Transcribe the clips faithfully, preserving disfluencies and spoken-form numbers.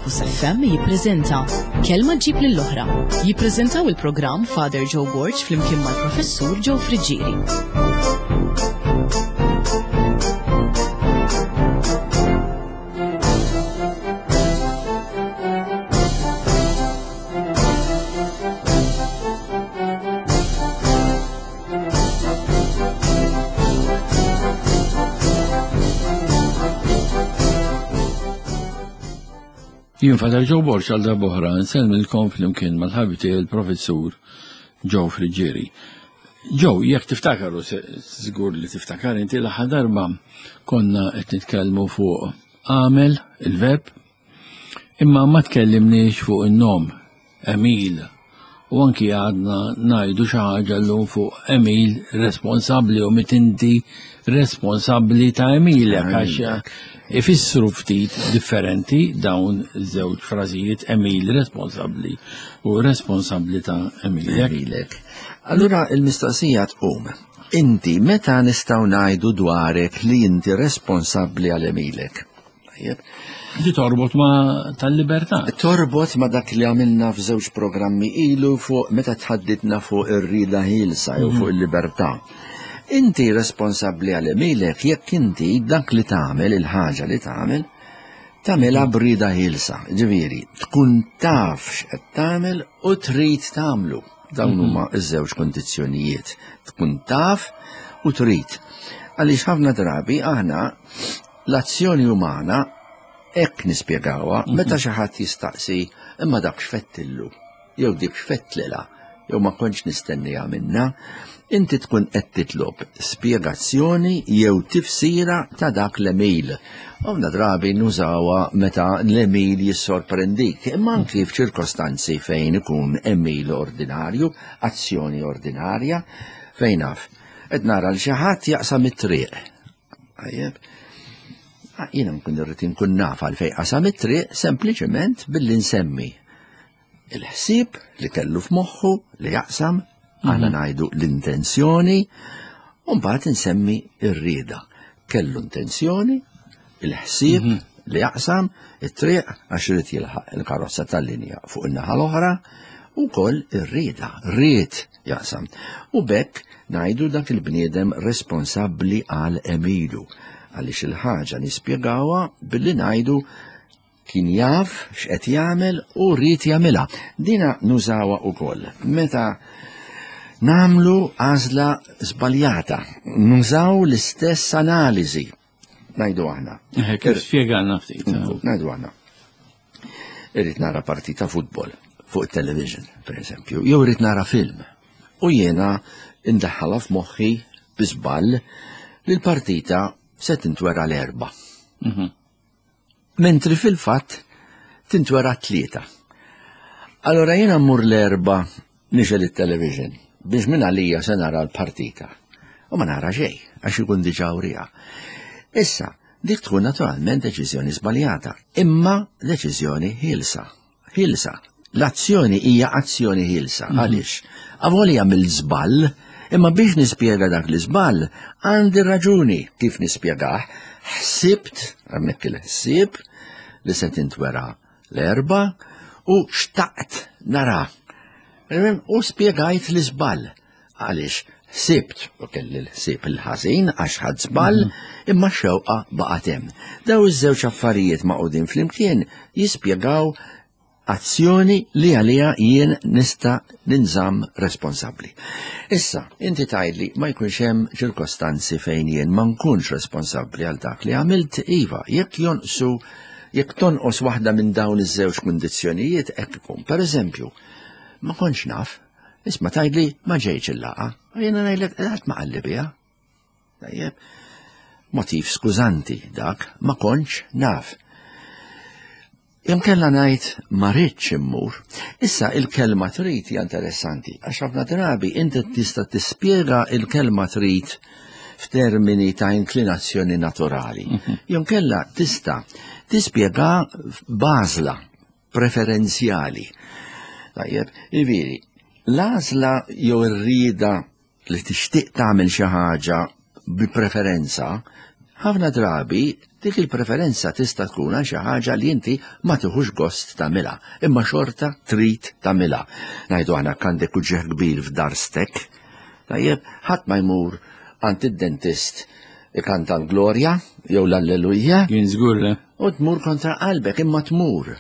Campus F M jippreżenta Kelma ġib lill-oħra. Jippreżentaw il-programm Father Joe Borg flimkien mal-Professur Joe Friggieri. Jien Father Joe Borg għal darb'oħra nsellmilkom flimkien mal-ħabib tiegħi il-Professur Joe Friggieri. Joe, jekk tiftakar, u żgur li tiftakar inti, l-aħħar darba konna qed nitkellmu fuq għamel, il-verb, imma ma tkellimniex fuq in-nom, Emil. U anki għadna ngħidu xi ħaġa llum fuq Emil responsabbli u mit inti responsabbli ta' Emilek, għax ifissru ftit differenti dawn iż-żewġ frażijiet, Emil responsabbli u responsabbli ta' Emilek. Emilek. Allura il-mistoqsija tqum. Inti meta nistgħu ngħidu dwarek li inti responsabbli għal Emilek? Tajjeb. Di torbot ma tal-libertà. Torbot ma dak li għamilna f'żewġ programmi ilu fuq meta tħaddidna fuq ir-rieda ħielsa jew fuq il-libertà. Inti responsabbli għal Emilek jekk inti dak li tagħmel, il-ħaġa li tagħmel, tagħmilha b'rieda ħielsa. Ġifieri, tkun taf x'qed tagħmel u trid tagħmlu. Dawn huma ż-żewġ kondizzjonijiet. Tkun taf u trid. Għaliex ħafna drabi aħna l-azzjoni umana hekk nispjegawha meta xi ħadd jistaqsi imma dak x'fettillu jew dik x'fettlilha jew ma kontx nistenniha minna, inti tkun qed titlob spjegazzjoni jew tifsira ta' dak l-emil. Ħafna drabi nużawha meta l-emil jissorprendik, imma anki f'ċirkostanzi fejn ikun emil ordinarju, azzjoni ordinarja, fejn naf. Qed nara l xi ħadd jaqsam it-triq. Tajjeb. Jiena nkun irrid inkun naf għalfejn qasam it-triq sempliċement billi nsemmi il-ħsieb li kellu f'moħħu li jaqsam, aħna ngħidu l-intenzjoni, u mbagħad insemmi r-rieda. Kellu intenzjoni, il-ħsieb li jaqsam it-triq għax irid jilħaq il-karozza tal-linja fuq in-naħa l-oħra, u wkoll ir-rieda, ried jaqsam. U b'hekk ngħidu dak il-bniedem responsabbli għal emilu, għaliex il-ħaġa nispjegawha billi ngħidu kien jaf x'qed jagħmel u ried jagħmilha. Dina nużawha wkoll meta nagħmlu għażla żbaljata, nużaw l-istess analiżi. Ngħidu aħna. Eh, kif spjegana ftit, eh. Ngħidu aħna. Irrid nara partita futbol fuq it-television, per eżempju, jew irrid nara film. U jiena indaħħalha f'moħħi bi żball li l-partita se tintwera l-erba'. Mhm. Mentri fil-fatt tintwera tlieta. Allora jiena mmur l-erba' nixel it-television biex minn għalija se nara l-partita. U ma nara xejn, għax ikun diġà wriha. Issa, dik tkun naturalment deċiżjoni żbaljata, imma deċiżjoni ħielsa. Ħielsa. L-azzjoni hija azzjoni ħielsa. Mhm. Għaliex? Avolja mill-żball, imma biex nispjega dak l-iżball, għandi raġuni kif nispjegah. Ħsibt, hemmhekk il-ħsieb, li se tintwera l-erba' u xtaqt nara. U spjegajt l-iżball. Għaliex ħsibt u kelli l-ħsieb il-ħażin għax ħadd żball, Mhm. imma x-xewqa baqgħet hemm. Daw iż-żewġ affarijiet maqgħudin flimkien jispjegaw azzjoni li għaliha jien nista' ninżamm responsabbli. Issa, inti tgħidli ma jkunx hemm ċirkostanzi fejn jien ma nkunx responsabbli għal dak li għamilt, iva, jekk jonqsu, jekk tonqos waħda minn dawn iż-żewġ kundizzjonijiet hekk ikun. Per eżempju, ma kontx naf, isma' tgħidli ma ġejtx il-laqgħa, u jiena ngħidlek qatt ma qalli biha. Tajjeb, motiv skużanti dak, ma kontx naf. Jom kella ngħid ma rridx immur. Issa il-kelma trid hija interessanti, għax ħafna drabi inti tista' tispjega il-kelma trid f'termini ta' inklinazzjoni naturali. Mhm. Jom kella tista' tispjega b'għażla preferenzjali. Tajjeb, jiġifieri, l-għażla jew ir-rieda li tixtieq tagħmel xi ħaġa bi preferenza, Ħafna drabi dik il-preferenza tista' tkun għal xi ħaġa li inti ma tieħux gost tagħmilha, imma xorta trid tagħmilha. Ngħidu aħna għandek uġigħ kbir f'darstek, tajjeb, ħadd ma jmur għand id-dentist ikanta l-glorja jew l-alleluja. Jien żgur le. U tmur kontra qalbek, imma tmur.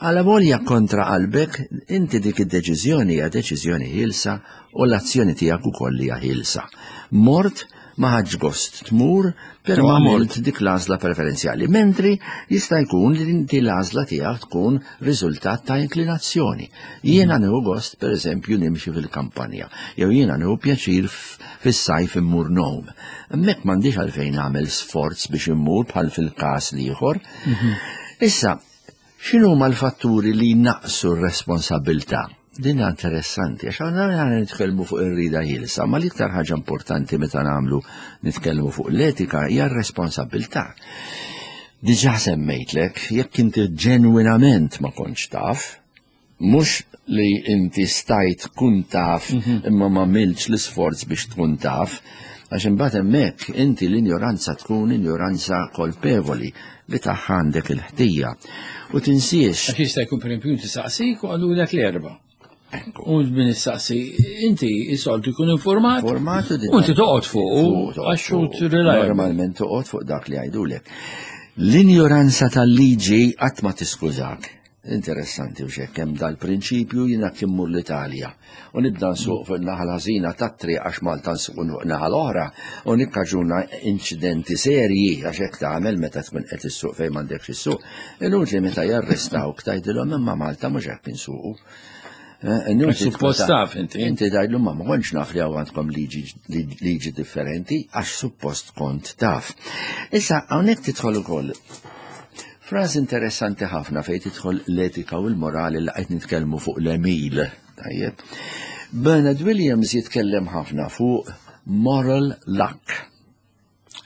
Għala volja kontra qalbek, inti dik id-deċiżjoni hija deċiżjoni ħielsa u l-azzjoni tiegħek ukoll hija ħielsa. Mort ma ħadx gost tmur, però għamilt dik l-għażla preferenzjali. Mentri jista' jkun li inti l-għażla tiegħek tkun riżultat ta' inklinazzjoni. Jiena nieħu gost pereżempju nimxi fil-kampanja, jew jiena nieħu pjaċir fis-sajf immur nom. Hemmhekk m'għandix għalfejn nagħmel sforz biex immur bħal fil-każ l-ieħor. Issa, x'inhuma l-fatturi li naqsu r-responsabilità? Din interessanti, għax għandna nitkellmu fuq ir-rida ħielsa, ma l-iktar ħaġa importanti meta nagħmlu nitkellmu fuq l-etika hija r-responsabilità. Diġà semmejtlek, jekk inti ġenwinament ma kontx taf, mhux li inti stajt tkun taf imma ma għamiltx l-isforz biex tkun taf, għax imbagħad hemmhekk inti l-injoranza tkun injoranza kolpevoli li tagħha għandek il-ħtija. U tinsiex. Għax jista' jkun pereżempju inti saqsik u qalulek l-erba'. U minn issaqsi, inti is-soltu jkun informat. Informat u inti toqgħod fuq, għax hu reliable. Normalment toqgħod fuq dak li jgħidulek. L-injoranza tal-liġi qatt ma tiskużak. Interessanti u xek, hemm dal-prinċipju jiena immur l-Italja. U nibda nsuq fuq naħa l-ħażina tat-triq għax Malta nsuq fuq naħa l-oħra u nikkaġuna inċidenti serji għax hekk tagħmel meta tkun qed issuq fejn m'għandekx issuq. Inutli meta jarrestawk tgħidilhom imma Malta mhux hekk insuqu. Suppost taf inti. Inti tgħidlu ma ma kontx naf li għandkom liġi differenti għax suppost kont taf. Issa hawnhekk tidħol ukoll frażi interessanti ħafna fejn tidħol l-etika u l-morali li qed nitkellmu fuq l-emil. Tajjeb. Bernard Williams jitkellem ħafna fuq moral luck.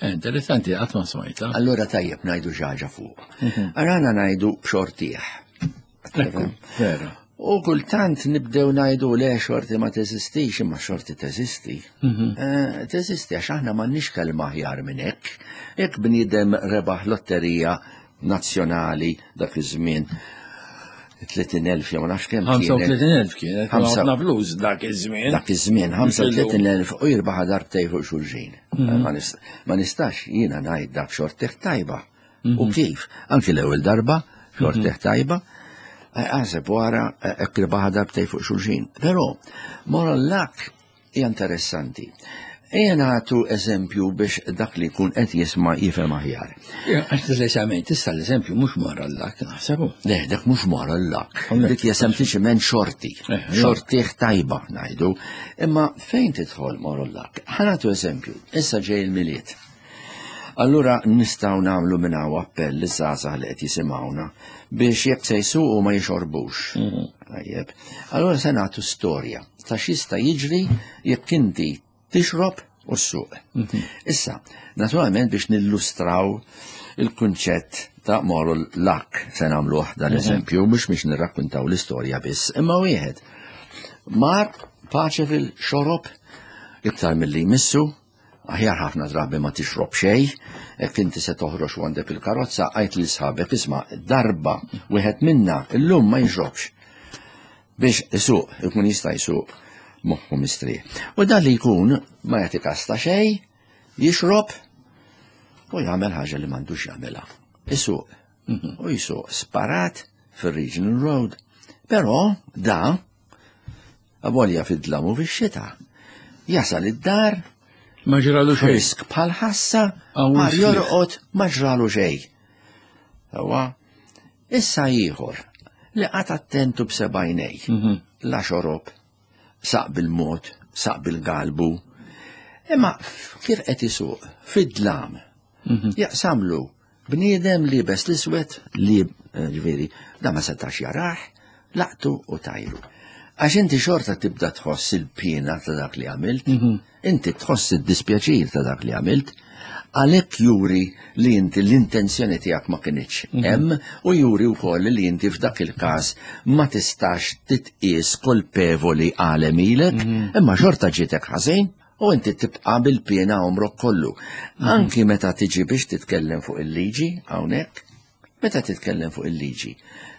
Interessanti, qatt ma smajta. Allura tajjeb ngħidu xi ħaġa fuq. Arana ngħidu b'xortih. Vera. U kultant nibdew ngħidu le xorti ma teżistix, imma xorti teżisti. Teżisti għax aħna m'għandniex kelma aħjar minn hekk. Jekk bniedem rebaħ lotterija nazzjonali dak iż-żmien tletin elf jew ma nafx kemm kienet. ħamsa u tletin elf kienet, ħafna flus dak iż-żmien. Dak iż-żmien ħamsa u tletin elf u jirbaħ darbtejn fuq xulxin. Ma nistax jiena ngħid dak xortih tajba. U kif? Anki l-ewwel darba xortih tajba. Għaseb wara irbaħ darbtejn fuq xulxin. Però moral luck hija interessanti. Ejja nagħtu eżempju biex dak li jkun qed jisma' jifhem aħjar. Għax preċisament issa l-eżempju mhux moral luck naħsebu. Le, dak mhux moral luck. Dik hija sempliċiment xorti. Xortih tajba ngħidu. Imma fejn tidħol moral luck? Ħa nagħtu eżempju. Issa ġej il-Milied. Allura nistgħu nagħmlu minn hawn appell li żgħażagħ li qed jisimgħuna biex jekk se jsuqu ma jixorbux. Tajjeb. Allura se nagħtu storja ta' x'jista' jiġri jekk inti tixrob u ssuq. Issa, naturalment biex nillustraw il-kunċett ta' moral luck se nagħmluh dan l-eżempju mhux biex nirrakkuntaw l-istorja biss, imma wieħed mar paċe fil-xorob iktar milli jmissu, aħjar ħafna drabi ma tixrob xejn, jekk inti se toħroġ u għandek il-karozza għajt lil sħabek isma' darba wieħed minna illum ma jixrobx biex isuq, ikun jista' jsuq moħħu mistrieħ. U dan li jkun ma jagħti kas ta' xejn, jixrob u jagħmel ħaġa li m'għandux jagħmilha. Isuq. U jisuq sparat fir-Regional Road. Però da avolja fid-dlam u fix-xita. Jasal id-dar ma ġralu xejn. Frisk bħal ħassa, ma jorqod ma ġralu xejn. Ewa, issa ieħor li qatt attentu b'sebgħinej. La xorob, saq bil-mod, saq bil-galbu. Imma kif qed isuq fid-dlam, jaqsamlu bniedem liebes l-iswed li ġifieri da ma setax jarah, laqtu u tajru. Għax inti xorta tibda tħoss il-pina ta' dak li għamilt, inti tħoss id-dispjaċir ta' dak li għamilt, għalhekk juri li inti l-intenzjoni tiegħek ma kinitx hemm u juri wkoll li inti f'dak il-każ ma tistax titqies kolpevoli għal għemilek, imma xorta ġietek ħażin U inti tibqa' bil-piena għomrok kollu. Anki meta tiġi biex titkellem fuq il-liġi, hawnhekk, meta titkellem fuq il-liġi,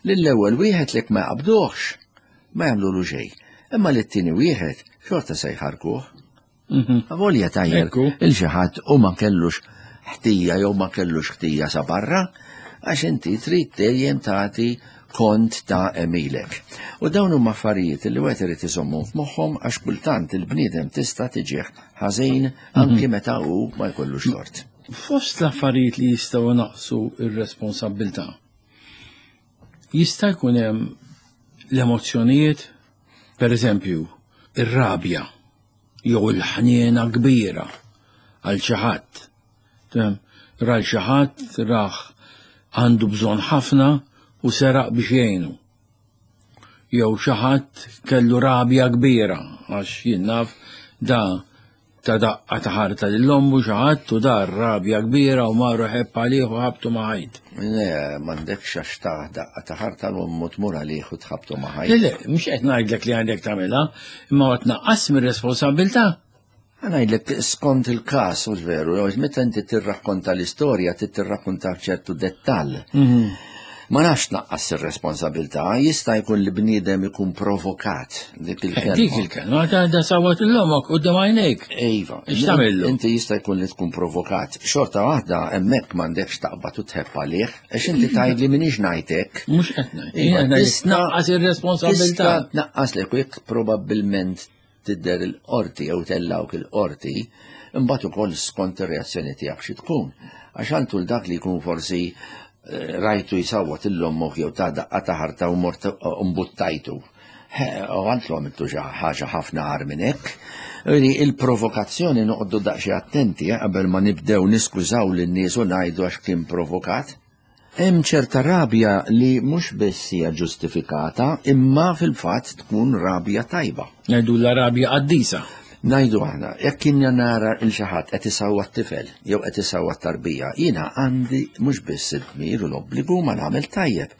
lill-ewwel wieħed lek ma jaqbduhx, ma jagħmlulu xejn. Imma lit-tieni wieħed xorta se jħarkuh. Avolja tajjer il xi ħadd u ma kellux ħtija jew ma kellux ħtija sa barra, għax inti trid dejjem tagħti kont ta' għemilek. U dawn huma affarijiet li wieħed irid iżommhom f'moħħhom għax kultant il-bniedem tista' tiġih ħażin anki meta hu ma jkollux tort. Fost l-affarijiet li jistgħu naqsu ir-responsabbiltà, jista' jkun hemm l-emozzjonijiet, per eżempju, ir-rabja jew il-ħniena kbira għal xi ħadd. Ra xi ħadd raħ għandu bżonn ħafna u seraq biex jgħinu. Jew xi ħadd kellu rabja kbira għax jien naf da ta' daqqa ta' ħarta lil ommu xi ħadd u dar rabja kbira u marru ħebb għalih u ħabtu ma' ħajt. Le, m'għandekx għax ta' daqqa ta' ħarta l-ommu tmur għalih u tħabtu ma' ħajt. Le, le, mhux qed ngħidlek li għandek tagħmilha, imma qed tnaqqas mir-responsabbiltà. Ngħidlek skont il-każ, u veru, meta inti tirrakkonta l-istorja, tirrakkonta f'ċertu dettall. Ma nafx tnaqqas ir-responsabilità, jista' jkun li bniedem ikun provokat dik il-kelma. Dik il-kelma, ta' da sawat l-omok quddiem għajnejk. Iva. X'tagħmillu? Inti jista' jkun li tkun provokat. Xorta waħda hemmhekk m'għandekx taqbad u tħebb għalih, għax inti tgħidli m'iniex ngħidlek. Mhux qed ngħid. Iva, tnaqqas ir-responsabilità. Tista' tnaqqas lek jekk probabbilment tidher il-qorti jew tellawk il-qorti, imbagħad ukoll skont ir-reazzjoni tiegħek xi tkun. Għax għandu dak li jkun forsi rajtu jisawwat il-lommok jew ta' daqqa ta' ħarta u mort mbuttajtu. U għantlu għamiltu ħaġa ħafna għar minn hekk. Il-provokazzjoni noqogħdu daqsxejn attenti qabel ma nibdew niskużaw lin-nies u ngħidu għax kien provokat. Hemm ċerta rabja li mhux biss hija ġustifikata, imma fil-fatt tkun rabja tajba. Ngħidu la rabja qaddisa. Ngħidu aħna, jekk jiena nara il xi ħadd qed isawwa t-tifel jew qed isawwa t-tarbija, jiena għandi mhux biss id-dmir u l-obbligu ma nagħmel tajjeb.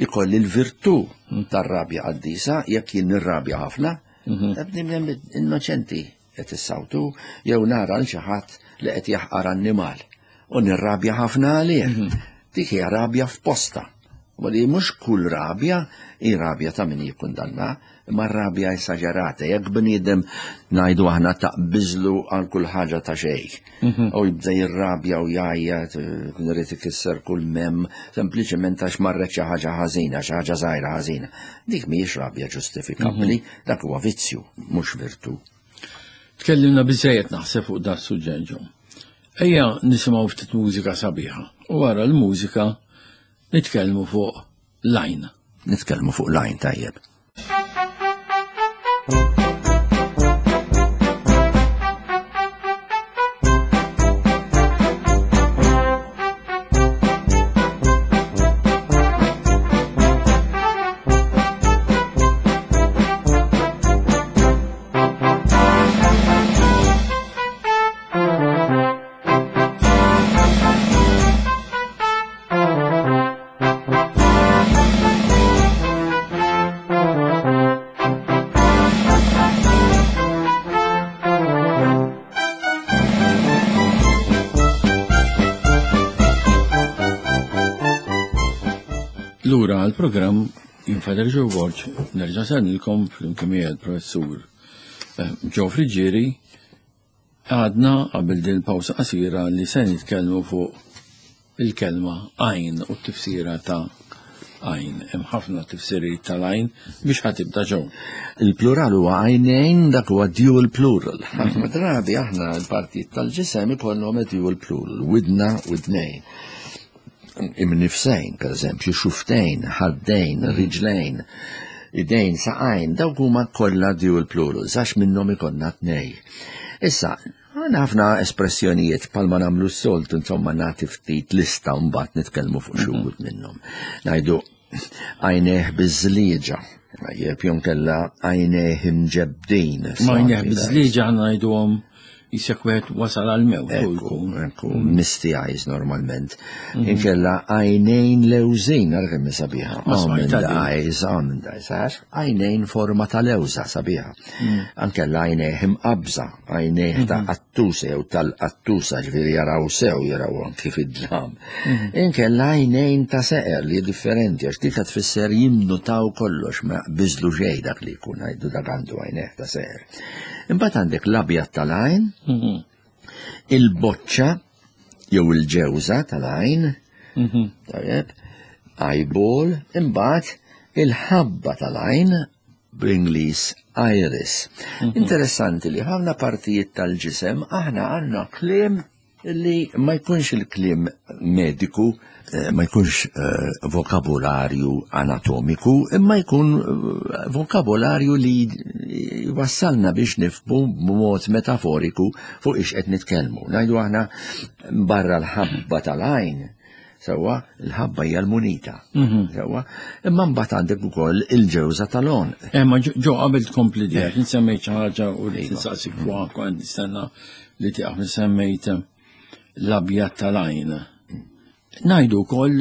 Ikolli l-virtù tar-rabja qaddisa jekk jien nirrabja ħafna, bniedem innoċenti qed issawtu jew nara l xi ħadd li qed jaħqar annimal u nirrabja ħafna għalih. Dik hija rabja f'posta. U li mhux kull rabja hi rabja ta' min jikkundanna, imma rabja esaġerata. Jekk bniedem ngħidu aħna taqbiżlu għal kull ħaġa ta' xejn. U jibda jirrabja u jgħajjat, irid ikisser kull mem, sempliċement għax marret xi ħaġa ħażina, xi ħaġa żgħira ħażina. Dik mhijiex rabja ġustifikabbli, dak huwa vizzju, mhux virtù. Tkellimna biżejjed naħseb fuq dan is-suġġett ġo. Ejja nisimgħu ftit mużika sabiħa u wara l-mużika nitkellmu fuq l-għajn. Nitkellmu fuq l-għajn tajjeb. Lura għal-programm jien Father Joe Borg, nerġa' sennilkom flimkien miegħi l-professur Joe Friggieri. Għadna qabel din il-pawsa qasira li se nitkellmu fuq il-kelma għajn u t-tifsira ta' għajn. Hemm ħafna tifsiriet tal-għajn biex ħa tibda ġew. Il-plural huwa għajnejn, dak huwa dual plural. Ħafna drabi aħna l-partijiet tal-ġisem ikollhom dual plural, widna widnejn. Imnifsejn, per eżempju, xuftejn, ħaddejn, riġlejn, idejn, saqajn, dawk huma kollha dual plural, għax minnhom ikollna tnej. Issa, għandna ħafna espressjonijiet bħalma nagħmlu s-soltu, insomma nagħti ftit lista u mbagħad nitkellmu fuq xi wħud minnhom. Ngħidu għajnejh biżlieġa, jekk jew kellha għajnejh imġebdin. Ma għajnejh biżlieġa ngħiduhom Jisek wieħed wasal għal-mewt. Ekku, ekku, misty eyes normalment. Inkella għajnejn lewżin, ara kemm sabiħa. Almond eyes, almond eyes, għax għajnejn forma ta' lewża sabiħa. Ankella għajnejn imqabża, għajnejn ta' qattusa jew tal-qattusa, ġifieri jaraw sew, jaraw anki fid-dlam. Inkella għajnejn ta' seqer li differenti, għax dik tfisser jinnutaw kollox, ma biżlu xejn dak li jkun għajdu dak għandu għajnejn ta' seqer. Imbagħad għandek l-abjad tal-għajn, il-boċċa jew il-ġewża tal-għajn, tajjeb, eyeball, imbagħad il-ħabba tal-għajn bl-Ingliż iris. Interessanti li ħafna partijiet tal-ġisem aħna għandna kliem li ma jkunx il-kliem mediku, ma jkunx vokabularju anatomiku, imma jkun vokabularju li wassalna biex nifhmu b'mod metaforiku fuq ix qed nitkellmu. Ngħidu aħna barra l-ħabba tal-għajn, sewwa l-ħabba hija l-munita. Sewwa, imma mbagħad għandek ukoll il-ġewża tal-għonq. Imma ġo qabel tkompli dik, insemmejt xi ħaġa u li tinsaqsik fuqha kont nistenna li tieqaf semmejt l-abjad tal-għajn. Ngħidu wkoll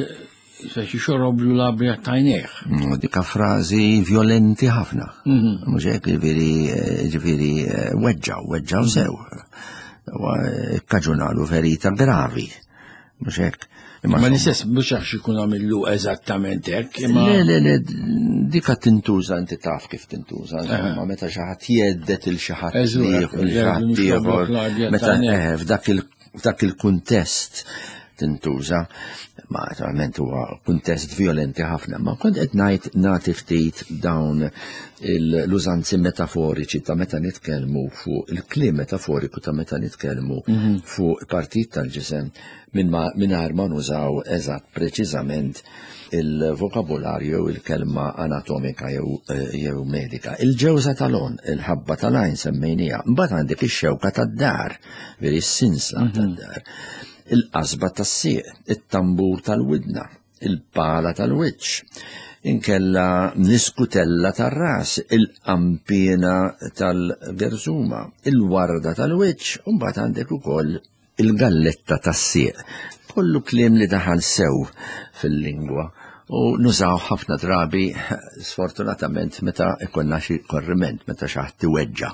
se xoroblu l-abjad tajnejh. Dika frażi violenti ħafna. Mhux hekk, ġifieri ġifieri weġġaw, weġġaw sew. Kkaġunalu ferita gravi. Mhux hekk. Ma l-istess mhux għax ikun għamillu eżattament hekk, imma Le, le, le, dika tintuża, inti taf kif tintuża, insomma, meta xi ħadd jgħeddet il xi ħadd ieħor, il xi ħadd ieħor, meta f'dak il f'dak il-kuntest tintuża, ma naturalment huwa kuntest violenti ħafna, ma kont qed ngħid nagħti ftit dawn l-użanzi metaforiċi ta' meta nitkellmu fuq il-kliem metaforiku ta' meta nitkellmu fuq partit tal-ġisem mingħajr ma nużaw eżatt preċiżament il-vokabularju jew il-kelma anatomika jew medika. Il-ġewża tal-għonq, il-ħabba tal-għajn semmejnija, mbagħad għandek ix-xewka tad-dar, veri s-sinsla tad-dar, il-qasba tas-sieq, it-tambur tal-widna, il-pala tal-wiċċ, inkella niskutella tar-ras, il-qampina tal-gerżuma, il-warda tal-wiċċ, u mbagħad għandek ukoll il-galletta tas-sieq. Kollu kliem li daħal sew fil-lingwa u nużaw ħafna drabi sfortunatament meta ikollna xi korriment, meta xi ħadd iweġġa'.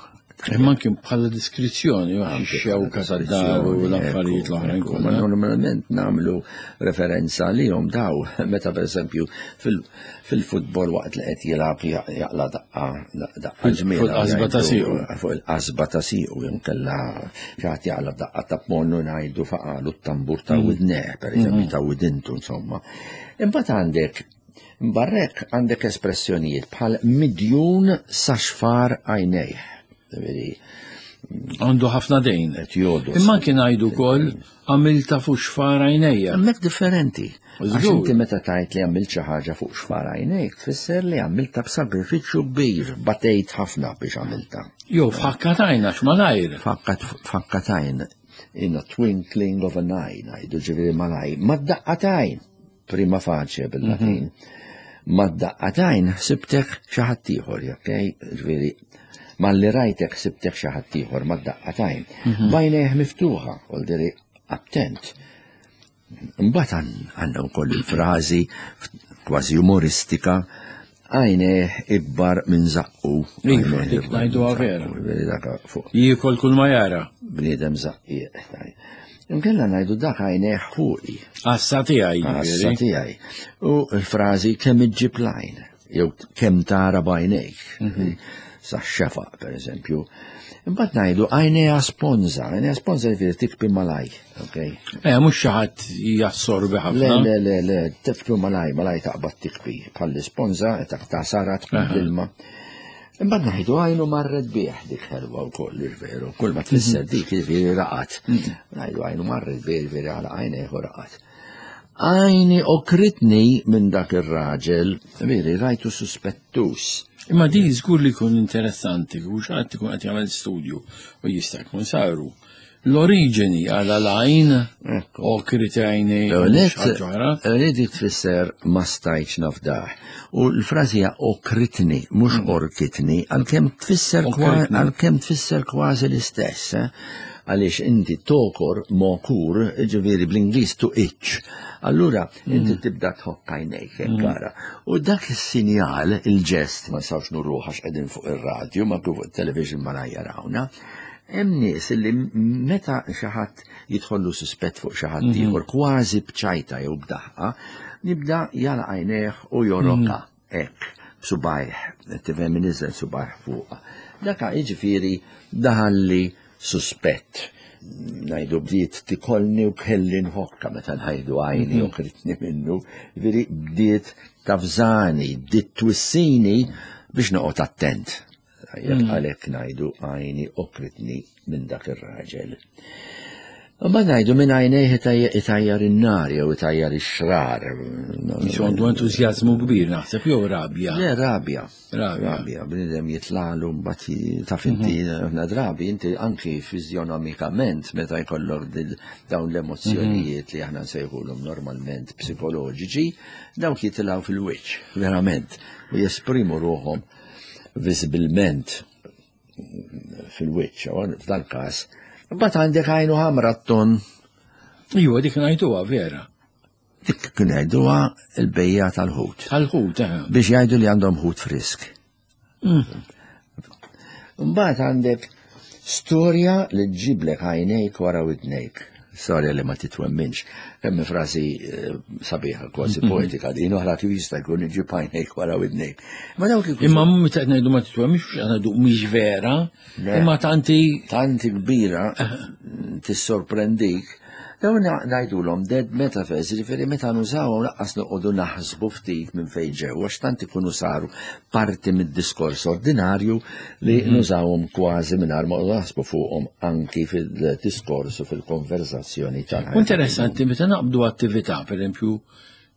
Imma anke bħala diskrizzjoni, xewka tad-dar u l-affarijiet l-oħrajn kollha. Normalment nagħmlu referenza lihom daw meta pereżempju fil-futbol waqt li qed jilgħab jaqla daqqa daqqa ġmiela. Fuq il-qasba ta' siequ. Fuq il-qasba ta' siequ inkella xi ħadd jaqla daqqa ta' ponnu ngħidu faqalu t-tambur ta' widneh, pereżempju ta' widintu insomma. Imbagħad għandek barrek għandek espressjonijiet bħal midjun sa xfar għajnejh. Għandu ħafna dejn. Imma kien għajdu wkoll għamilta fuq xfar għajnejja. Hemmhekk differenti. Għax inti meta tgħid li għamilt xi ħaġa fuq xfar għajnejk, tfisser li għamilta b'sagrifiċċju kbir, batejt ħafna biex għamilta. Jew f'ħakkatajn għax malajr. F'ħakkatajn, in a twinkling of an eye, ngħidu ġifieri malajr, ma daqqatajn, prima facie bil-Latin. Ma daqqatajn ħsibtek xi ħadd ieħor, okej? Ġifieri malli rajtek ħsibtek xi ħadd ieħor ma daqqatajn. Bajnejh miftuħa, voldiri attent. Imbagħad għandna wkoll il-frażi kważi umoristika għajnejh ikbar minn żaqqu. Iva, dik ngħiduha vera. Jiekol kull ma jara. Bniedem żaqqieq. Inkella ngħidu dak għajnejh fuqi. Għassa tiegħi. Għassa tiegħi. U l-frażi kemm iġġib l-għajn, jew kemm tara b'għajnejk. Sa xefaq, per eżempju. Imbagħad ngħidu għajnejha sponża, għajnejha sponża jiġifieri tikbi malaj, okej? Eh, mhux xi ħadd jassorbi ħafna. Le, le, le, le, tikbi malaj, malaj taqbad tikbi. Bħall-isponża, ta' sara tkun l-ilma. Imbagħad ngħidu għajnu marret bih, dik ħelwa wkoll, veru. Kull ma tfisser dik jiġifieri raqat. Ngħidu għajnu marret bih, jiġifieri għala għajnejh u raqat. Għajni okritni minn dak ir-raġel, veri rajtu suspettus. Imma di żgur li jkun interessanti, u xi ħadd ikun qed jagħmel studju u jista' jkun saru. L-oriġini għal l-għajn, okrit għajni, ħaġa oħra. Dik tfisser ma stajtx nafdaħ. U l-frażi hija okritni, mhux orkitni, għalkemm tfisser għalkemm tfisser kważi l-istess. Għaliex inti tokor, mokur, ġifieri bl-Ingliż to itch. Allura inti tibda tħokk għajnejk, gara. U dak is-sinjal, il-ġest, ma nistgħux nuruh għax qegħdin fuq ir-radju, ma fuq it-television ma jarawna. Hemm nies li meta xi ħadd jidħollu suspett fuq xi ħadd ieħor kważi b'ċajta jew b'daħqa, nibda jagħlaq għajnejh u joroka hekk b'subajh, tifhem iniżel subajh fuqha. Daka jiġifieri daħalli suspett. Ngħidu bdiet tikolni u kelli nħokka meta ngħidu għajni u kritni minnu, ġifieri bdiet tafżani, bdiet twissini biex noqgħod attent. Jekk għalhekk ngħidu għajni okritni minn dak ir-raġel. Ma ngħidu minn għajnejh itajjar in-nar jew itajjar ix-xrar. Qisu għandu entużjażmu kbir naħseb jew rabja. Le rabja. Rabja. Bniedem jitlalu mbagħad taf inti ħafna drabi inti anki fiżjonomikament meta jkollok dawn l-emozzjonijiet li aħna nsejħulhom normalment psikoloġiċi, dawk jitilgħu fil-wiċċ, verament, u jesprimu ruħhom viżibilment fil-wiċċ, f'dan każ. Mbagħad għandek għajnu ħamra t-ton. Iwa, dik ngħiduha vera. Dik kien jgħiduha il-bejja tal-ħut. Tal-ħut, eh. Biex jgħidu li għandhom ħut frisk. Mbagħad għandek storja li ġġiblek għajnejk wara widnejk. Storja li ma titwemminx. Kemm frażi sabiħa, kważi poetika din, oħra kif jista' jkun iġib għajnejk wara widnejk. Ma dawk ikun. Imma meta qed ngħidu ma titwemminx, mhux qed ngħidu mhix vera, imma tanti. Tanti kbira tissorprendik. Dawn ngħidulhom dead metaphors, jiġifieri meta nużawhom lanqas noqogħdu naħsbu ftit minn fejn ġew, għax tant ikunu saru parti mid-diskors ordinarju li nużawhom kważi mingħajr ma naħsbu fuqhom anki fil-diskors u fil-konversazzjoni tal-ħajja. Interessanti meta naqbdu attività, pereżempju,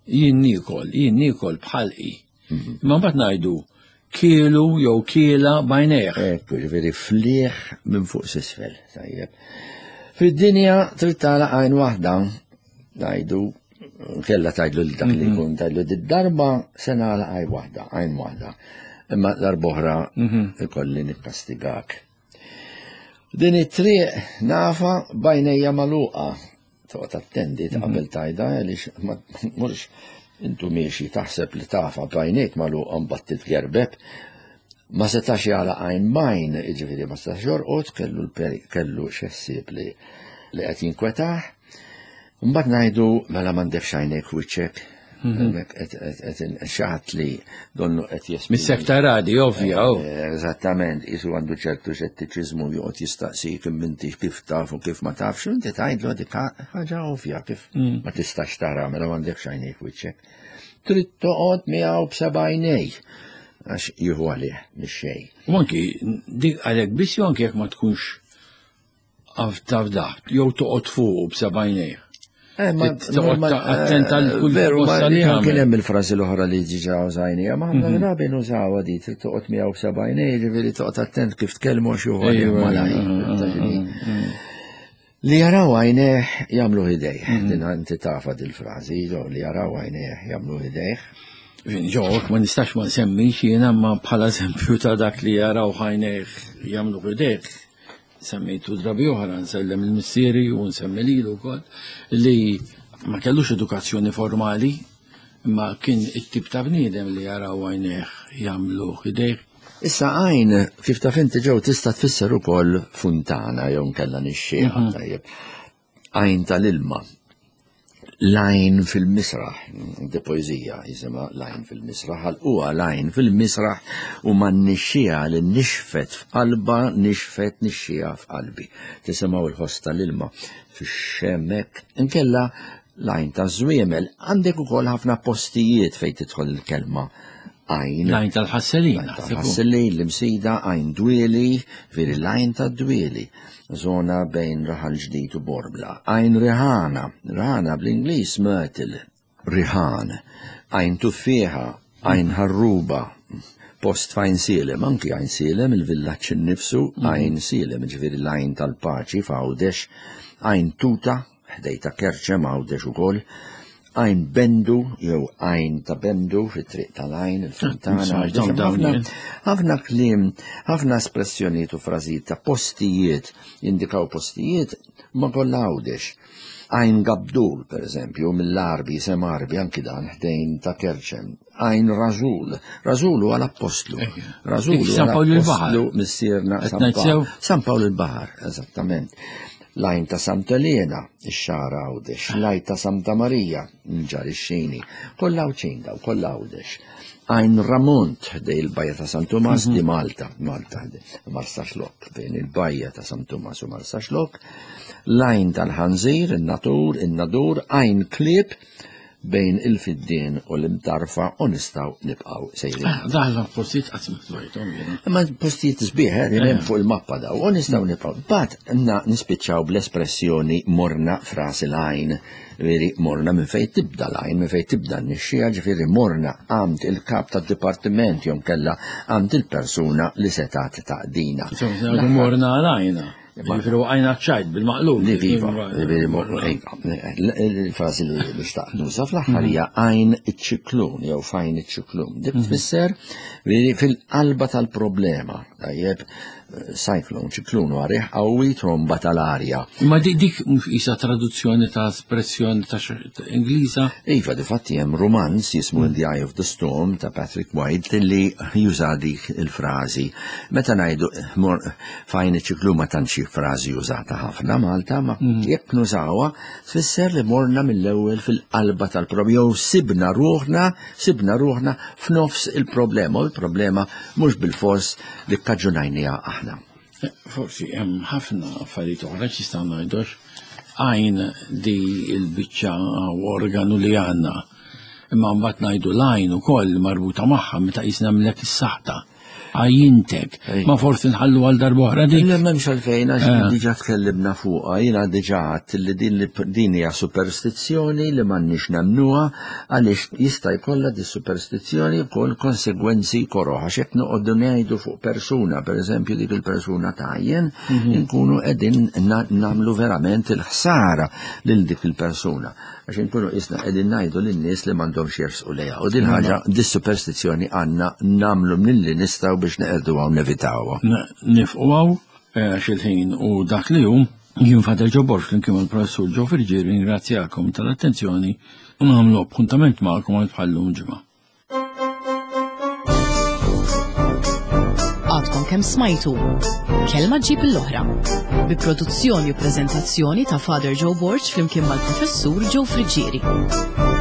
jien niekol, jien niekol b'ħalqi. Imma mbagħad ngħidu kielu jew kiela b'għajnejh. Ekku, jiġifieri flieħ minn fuq s'isfel, tajjeb. Fid-dinja trid tagħlaq għajn waħda, ngħidu, kella tgħidlu lil dak li jkun tgħidlu d-darba se nagħlaq għajn waħda, għajn waħda. Imma darb'oħra ikolli nikkastigak. Din it-triq nafa b'għajnejja magħluqa. Toqgħod attendi qabel tgħidha għaliex ma tmurx intu miexi taħseb li tafa b'għajnejk magħluqa mbagħad titgerbeb. Ma setax jagħlaq għajn b'għajn, jiġifieri ma setax jorqod, kellu kellu xi ħsieb li li qed jinkwetah. Mbagħad ngħidu mela m'għandekx għajnejk wiċċek. Hemmhekk qed xi ħadd li donnu qed jesprimi. Mis-sekta radi, ovvja. Eżattament, qisu għandu ċertu xettiċiżmu joqgħod jistaqsik imma kif taf u kif ma tafx, inti tgħidlu dik ħaġa ovvja kif ma tistax tara mela m'għandekx għajnejk wiċċek. Trid toqgħod miegħu b'seba' għajnej. Għax jieħu għalih mix-xejn. U anki dik għalhekk biss jew anki jekk ma tkunx taf jew toqgħod fuq b'seba' għajnejh. Toqgħod attent għal kull Veru, ma mossa li kien jagħmel. hemm il-frażi l-oħra li diġà użajniha, ma ħafna drabi nużawha di trid toqgħod miegħu b'seba' għajnejh, ġifieri toqgħod attent kif tkellmu għax jieħu għalih Ejwa, malajr. Li jaraw għajnejh jagħmlu idejh. Din inti tafa dil-frażi, li jaraw għajnejh jagħmlu idejh. Ġo, ma nistax ma nsemmix jiena ma bħala eżempju ta' dak li jaraw għajnejh jagħmlu idejh. Semmejtu drabi oħra, nsellem il-missieri u nsemmi lilu wkoll li ma kellux edukazzjoni formali, imma kien it-tip ta' bniedem li jaraw għajnejh jagħmlu idejh. Issa għajn, kif taf inti ġew tista' tfisser ukoll funtana jew nkella nixxieqa, tajjeb. Għajn tal-ilma. L-għajn fil-misraħ, di poeżija jisimha l-għajn fil-misraħ, għal huwa l-għajn fil-misraħ u ma nixxieha li nixfet f'qalba, nixfet nixxieha f'qalbi. Tisimgħu l-ħoss tal-ilma fix-xemmek, inkella l-għajn ta' żwiemel. Għandek ukoll ħafna postijiet fejn tidħol il-kelma għajn. L-għajn tal-ħasselin, L-għajn naħseb hu. tal-ħasselin, l-imsida, għajn dwieli, veri l-għajn tad-dwieli. Zona bejn Raħal Ġdid u Borbla. Għajn Riħana, Riħana bl-Ingliż myrtle, Riħan. Għajn Tuffieħa, għajn Ħarruba, post f'Għajn Sielem, anki Għajn Sielem, il-villaġġ innifsu, Għajn Sielem, ġifieri l-għajn tal-Paċi f'Għawdex, Għajn Tuta, ħdejta Kerċem Għawdex ukoll, Għajn Bendu, jew Għajn ta' Bendu, fit-triq tal-Għajn, il-Fontana. Ħafna kliem, ħafna espressjonijiet u frażijiet ta' postijiet, jindikaw postijiet, ma kollha Għawdex. Għajn Gabdul, per eżempju, mill-Arbi, sem Arbi, anki dan ħdejn ta' Kerċem. Għajn Rażul, Rażul huwa l-appostlu. Rażul huwa l-appostlu missierna San Pawl. San Pawl il-Baħar, eżattament. L-għajn ta' Santa Elena, ix-Xagħra Għawdex, l-għajn ta' Santa Marija, Mġarr ix-Xini, kollha Għawdxin daw, kollha Għawdex. Għajn Ramont, ħdej il-bajja ta' San Tumas, di Malta, Malta, Marsaxlokk, bejn il-bajja ta' San Tumas u Marsaxlokk. L-għajn tal-Ħanżir, in-Natur, in-Nadur, Għajn Klieb, bejn il-Fiddien u l-Imtarfa, u nistgħu nibqgħu sejrin. Ah, daħla postijiet qatt ma smajthom jiena. Ma postijiet sbieħ, eh, hemm fuq il-mappa daw, u nistgħu nibqgħu. Bat nispiċċaw bl-espressjoni morna fras il-għajn, veri morna minn fejn tibda l-għajn, minn fejn tibda n-nixxija, ġifieri morna għand il-kap tad-dipartiment jew kella għand il-persuna li setat taqdina. Morna għal-għajna. Ġifieri waqajna ċajt bil-maqlub. Li viva, il-frażi li xtaqt nuża fl-aħħar hija għajn iċ-ċiklun jew fajn iċ-ċiklun. Dik tfisser fil-qalba tal-problema, tajjeb, cyclone, ċiklun huwa riħ qawwi, tromba tal-arja. Ma dik mhux qisha traduzzjoni ta' espressjoni ta' Ingliża? Iva, difatti hemm romanz jismu In the Eye of the Storm ta' Patrick White li juża dik il-frażi. Meta ngħidu fajn iċ-ċiklun ma tantx frażi użata ħafna Malta, ma jekk nużawha tfisser li morna mill-ewwel fil-qalba tal-problema jew sibna ruħna, sibna ruħna f'nofs il-problema, u l-problema mhux bil-fors li kkaġunajniha aħna. Forsi hemm ħafna affarijiet oħra x'jistgħu ngħidux għajn di l-biċċa organu li għandna. Imma mbagħad ngħidu l-għajn ukoll marbuta magħha meta qisna nagħmlek is-saħta. Għajintek, ma forsi nħallu għal darba dik. Le m'hemmx għalfejn għax diġà tkellimna fuqha, jiena diġà għadt li din din hija superstizzjoni li m'għandniex nemmnuha għaliex jista' jkollha di superstizzjoni wkoll konsegwenzi koroh għax jekk noqogħdu ngħidu fuq persuna, pereżempju dik il-persuna tajjen, inkunu qegħdin nagħmlu verament il-ħsara lil dik il-persuna. Għax inkunu qisna qegħdin ngħidu lin-nies li m'għandhomx jersqu lejha. U din ħaġa, dis-superstizzjoni għandna nagħmlu milli nistgħu biex neqerdu għaw nevitawha. Nifqu għaw għax il-ħin u dak li hu, jien Father Joe Borg flimkien mal-Professur Joe Friggieri ringrazzjakom tal-attenzjoni u nagħmlu appuntament magħkom għal bħallum ġimgħa. Għadkom kemm smajtu Kelma ġib l-oħra bi produzzjoni u preżentazzjoni ta' Father Joe Borg flimkien mal-Professur Joe Friggieri.